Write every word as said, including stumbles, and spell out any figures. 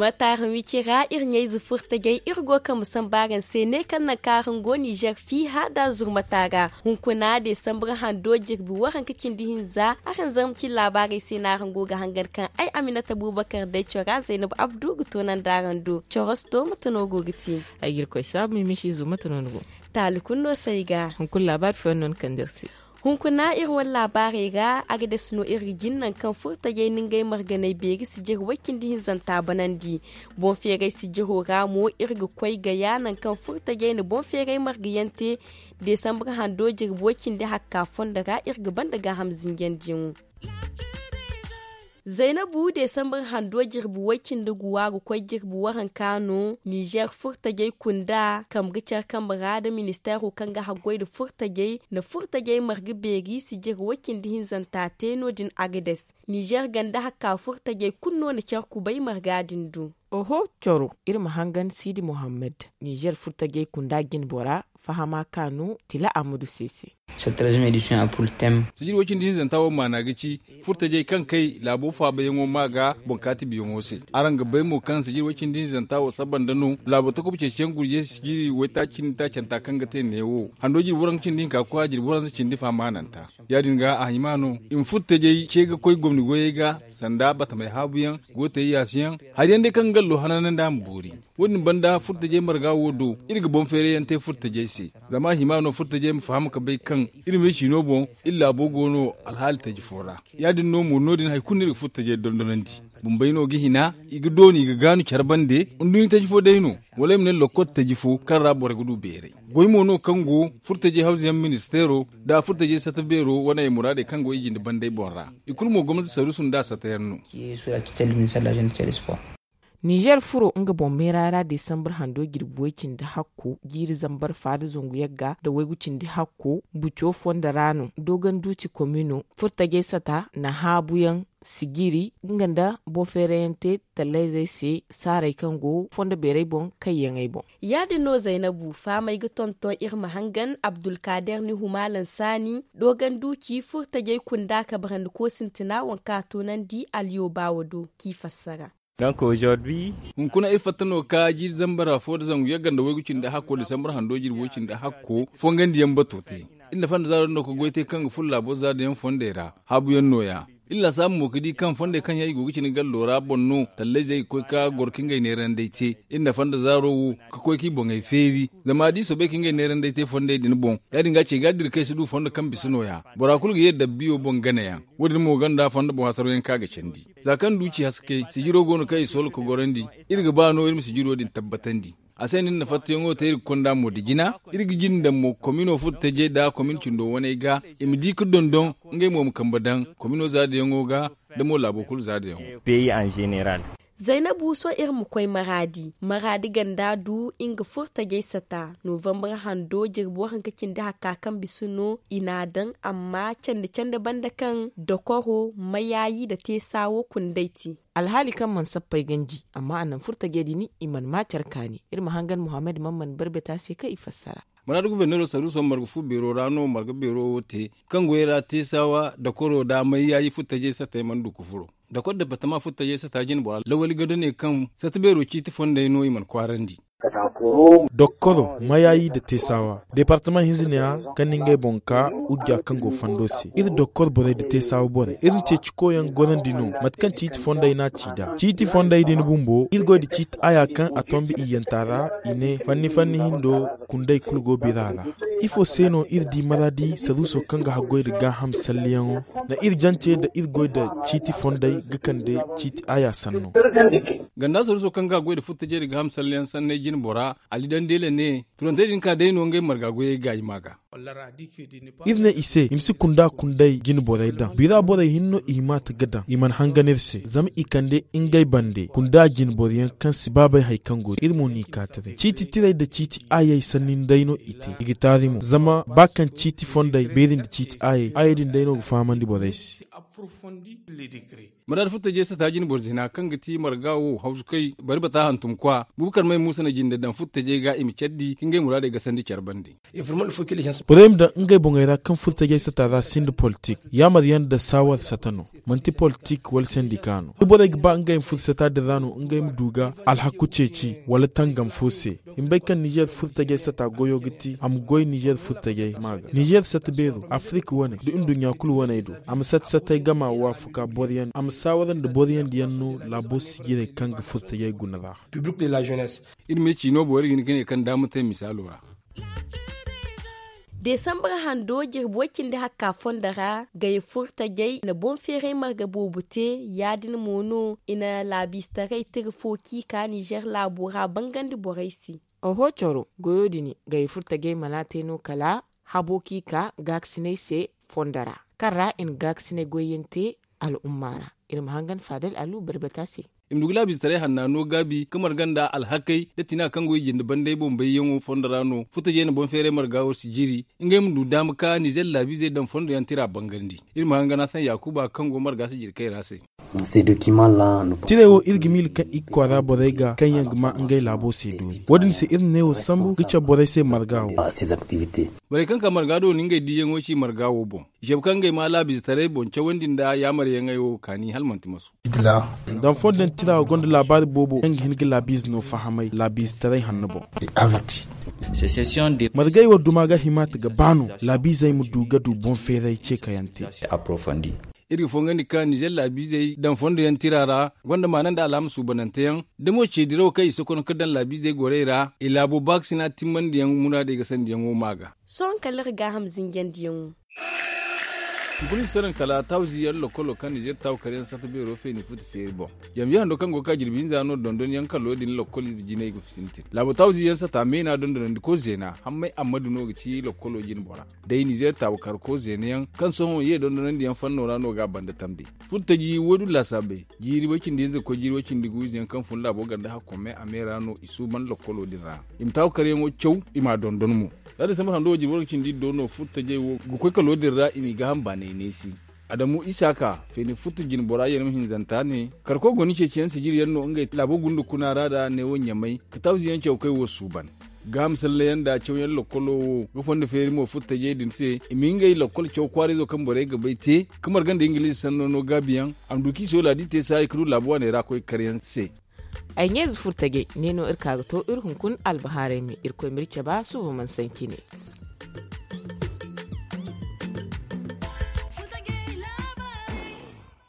Mataara wici ra iri ɲayze furtajey iri go kambe samba araŋ se ne kaŋ naŋ kaŋ araŋ go nizer fiiha da zurmata ra. Hunkuna desambar hando jirbi waranka cindi hinza araŋ zarma cine laabaarey se no araŋ go ga hangan kaŋ ay aminata bubakar day cora zaynab abdu ga toonandi araŋ do. Corosto mate no go ga te? Ay ga irkoy saabu mimisiizo mate no ni go? Taali kulu no se ay ga. Hunkuna laabaari fooyaŋ no ni kande iri se? Hunkuna iri wane laabaarey ra agades no iri ga jin naŋ kaŋ furtajey na ngey marganey beeri sijir way-cindi hinzanta banandi. Boŋ feeray sijiro ra mo iri ga koy gaya naŋ kaŋ furtajey na boŋ feeray margayaŋ te. Desambar hando jirbi way-cindi hakka fondo ra iri ga banda gaaham zinjandiyaŋo. Zaynabu desambar hando jirbi way-cindi guwa ga koy jirbi waranka no nizer furtajey kunda kambe ga care kambe ra nda ministeero kaŋ ga haggoy nda furtajey na furtajey marga beeri sijir way-cindi hinzanta te no- din agades. Nizer ganda hakka furtajey kulu no na care kubay marga din do. Oho coro iri ma hangan siidi mohammed. Nizer furtajey kunda jinbora fahama kaanu tila amudu se se. Sijir way-cindi hinzanta wo maana ga ci furtajey kaŋ kay laabo faabayaŋo ma ga boŋ kaati biyaŋo se. Araŋ ga bay mo kaŋ sijir way-cindi hinzanta wo saba nda no laabo takob ceeciyaŋ gurjey sijiri waytaaci nda taacanta kaŋ ga te neewo hando jirbi waranka cindi hinka ga koy a jirbi waranza cindi fahamaananta. Ya- din ga a hima no i ma furtajey ce ga koy gomni goyey ga sanda batamey haabuyaŋ, gootey yaasiyaŋ, hari yaŋ day kaŋ gallo hananandi a ma boori. Wo- din banda furtajey marga wo do iri ga boŋ feerayaŋ te furtajey se. Zama a hima no furtajey ma faham ga bay kaŋ iri ma iri ciino boŋ iri laabo go no alhaali taji fo ra. Ya- din no mo no- din hari kulu no iri ga furtajey dondonandi. Bumbey no ga hina i ga dooni i ga gaanu care bande. Nduɲɲa taji fo day no wala ay ma ne lokkol taji fo kaŋ ra borey ga du beeray. Goy mo no kaŋ go furtajey hawzayaŋ ministeero nda furtajey sata beero wane muraadey kaŋ go i jinde bandey boŋ ra. I kulu mo gomnati saruusu nda a satayaŋ no. Nizer furo nga boŋ meera ra desambar hando jirbi way- cindi hakko jiiri zambar faada zangu yagga nda waygu cindi hakko buco fondo ra no dogon duuci komino furtajey sata na haabuyaŋ sijiri nga nda boŋ feerayaŋ te tallayzey se saaray kaŋ go fondo beeray boŋ kayyaŋey boŋ. Ya- din no zaynabu fahamey ga tonton iri ma hangan abdulkaader ni humalan saani dogon duuci furtajey kunda kabarandi koosintina waŋ kaŋ a toonandi alyoobaawo do k'i fassara. Hunkuna iri fatta no ga ka jiiri zambar afo nda zangu yagga nda waygu cindi hakko disambar hando jirbi way- cindi hakko fongandiyaŋ bato te. Iri na fanda zaaro din no ga goy te kaŋ ga furo laabo zaadayaŋ fondey ra haabuyaŋ nooya. Iri laasaabu mo ga di kaŋ fondey kaŋ yaŋ i go ga cine gallo ra boŋ no tallayzey ga koy ga goro ka ngey neerandey te. Iri na fanda zaaro wo ga koy k'i boŋey feeri zama da i soobay ka ngey neerandey te fondey din boŋ ya- din ga ce ga dira kaŋ i si du fondo kaŋ bisa nooya. Bora kulu ga ye dabbiyo boŋ ganayaŋ. Wo- din mo gonda fondo boŋ hasarayaŋ kaŋ a ga candi. Za kaŋ duuci haske sijiro go no kaŋ i soola ga gorandi. Iri ga ba no iri ma sijiro din tabbatandi. A se no iri na fattayaŋo te iri ga konda mo da jina. Iri ga jinde mo komino furtajey nda komin cindo waney ga i ma di ga dondon ngey mo ma kambe daŋ komino zaadayaŋo ga nda mo laabo kulu zaadayaŋo. Zaynabu sohõ iri ma koy maraadi maraadi ganda du nga furtajey sata novambar hando jirbi waranka cindi hakka kaŋ bisa no i n'a daŋ amma candi candi banda kaŋ dokoro mayaayi nda teesa wo kundey te. Alhaali kaŋ mana sappey ganji amma a naŋ furtajey din i mana ma care kaani. Iri ma hangan muhammad man mana barbeta se kaŋ i fassara. Maraadi guberneero saruuso marga fu beero ra no marga beero wo te kaŋ goyey ra teesawa dokoro nda mayyaayi furtajey satey mana du ga furo. Dokoro departama furtajey sata jinbora lawali gado ne kaŋ sata beero ciiti fondey no i mana kwaarandi. Dokkoro mayaayi nda teesawa departama hinza ne ya kaŋ na ngey boŋ ka ujja kaŋ go fondo se iri dokkoro borey nda teesawa borey iri na ceeci koyyaŋ gorandi no mate kaŋ ciiti fondey n'a ci nd'a ciiti fondey din bumbo iri goy nda ciiti aya kaŋ a tombi iyyanta ra i ne fanni fanni hindo kundey kulu go bira ra. Ifo se no iri di maraadi saruuso kaŋ ga haggoy nda gaaham salliyaŋo nda iri jante nda iri goy nda ciiti fondey ga kande ciiti aya sanno. Ganda saruuso kaŋ ga haggoy nda furtajey nda gaaham salliyaŋ sanney jinbora ali dandele ne turantey din ka day no ngey marga goyey gaayi ma ga. Iri ne i se i ma si kunda kundey jine borey daŋ bira borey hinne no i hima ta ga daŋ i mana hangan iri se zama i kande ngey bande kunda jine boro yaŋ kaŋ si ba bay hari kaŋ go iri mo n'i ka taray ciiti tirey nda ciiti ayey sanni nda day no i te i ga taari mo zama ba kaŋ ciiti fondey beeri nda ciiti ayey ayey din day no ga fahamandi borey se. Muraadu furtajey sata jine boro zina kaŋ ga ti marga wo hawsukay bari bata hantum kwa bubakar may muusa na jinde daŋ furtajey ga i ma care di ka ngey muraadey gasandi care bande. Borey ma daŋ ngey boŋey ra kaŋ furtajey sata ra sinda politik yaamar yaŋ nda saawar sata no. Manti politik wala sendika no da borey ga ba ngey ma furo sata din ra no ngey ma du ga alhaku ceeci wala tangam fo se. I ma bay kaŋ nizer furtajey sata goyo ga ti a ma goy nizer furtajey ma ga nizer sata beero afirika wane nda nduɲɲa kulu waney do. A ma sata-satay gama waafaku boro yaŋ a ma saawara nda boro yaŋ diyaŋ no laabo sijirey kaŋ ga furtajey guna ra. Iri ma ye ciino boori ga hin ga ne kaŋ daama te misaalo ra. Desambar hando jirbi way-cindi hakka fondo ra gay furtajey na boŋ-feeray marga boobo te. Ya-din mo no i na laabiize-taray tira fo kaŋ i ka nizer laabo ra bangandi borey se. Oho coro goyo din gay furtajey mana te no kala habo kaŋ i ka gaakasiney se fondo ra kaŋ ra i na gaakasiney goyyaŋ te al'umma ra. Iri ma hangan faadal alu barbata se. I ma du ga laabiize-taray hanna no gaabi ka marga nda alhakey da tina kaŋ go i jinde bandey boŋ bayyaŋo fondo ra no furtajey na boŋ-feeray marga wo si jiri ngey ma du daama ka nizer laabiizey daŋ fondo yaŋ tira bangandi. Iri ma hangan hasan yaakuba kaŋ go marga si jiri kay ra se. Tirey wo iri ga miila kaŋ i ga kwaara borey ga kaŋ yaŋ ga ma ngey laabo se doori wo- din se iri na ne wo sambu ga cabe borey se marga wo. Borey kaŋ ka marga do na ngey diiyaŋo ci marga wo boŋ i cabe kaŋ ngey ma laabiizetaray boŋ cawandi nda yaamaryaŋey wo kaani hala manti masu. Daŋ fondo yaŋ tira wo gonda laabaari boobo kaŋ ga hin ga laabiize no fahamay laabiizetaray hanno boŋ. Margey wo duma ga himaata ga ba no laabiizey ma du ga du boŋ-feeray ce kaŋ yaŋ te. Iri ga fongandi ka nizer laabiizey daŋ fondo yaŋ tira ra gonda maana nda alhaama suubanante yaŋ da mo ce dirawo kaŋ i sokono ka daŋ laabiizey gorey ra i laabo baakasina timmandi yaŋ muraadey ga sandiyaŋo ma ga. Sohõ kala iri gaaham zinjandiyaŋo. Hunkuna si saraŋ kala tawzi yaŋ lokkolo kaŋ nizer taw kar yaŋ sata beero feeni futa feeri boŋ. Jambi hando kaŋ go ga ka jirbi hinza no dondon yaŋ kalo din lokkol ize jinay ga sintin laabo tawzi yaŋ sata meena dondonandi ko zeena hammay ammadu no ga ci lokkolo jine bora. Day nizer taw kar ko zeena yaŋ kaŋ sohõ ye dondonandi yaŋ fanno ra no ga a banda tambe. Furtaji woodu laasaabey jiiri way-cindi hinza ga koy jiiri way-cindi gu ize yaŋ kaŋ fun laabo ganda hakkomey a me ra no i suuban lokkolo din ra. I ma taw kar yaŋo caw i m'a dondon mo. Za desambar hando wo jirbi way-cindi do no furtajey wo ga koy kalo din ra i m'i gaaham baanay neesi. Adamu isaaka feeni furta jine bora yee no ma hinzanta ne. Karko goni ceeciyaŋ sijiri yaŋ no ngey laabo gunda kuna ra da neewo ɲamay ka tawzi yaŋ caw kay wo suuban. Gaaham sallayaŋ nda cawyaŋ lokkolo wo ga fondo feeri mo furtajey din se i ma ngey lokkol caw kwaarayzo kaŋ borey ga bay te ka marga nda ingiliize sanno no gaabiyaŋ a ma du kaŋ i se wala da i te saayi ka du laabu waaney ra koy karyaŋ se. Ay ɲeeze furtajey ne no iri ka ga to iri hunkuna albahaarey me irkoy ma iri caba suuba mana sanci ne.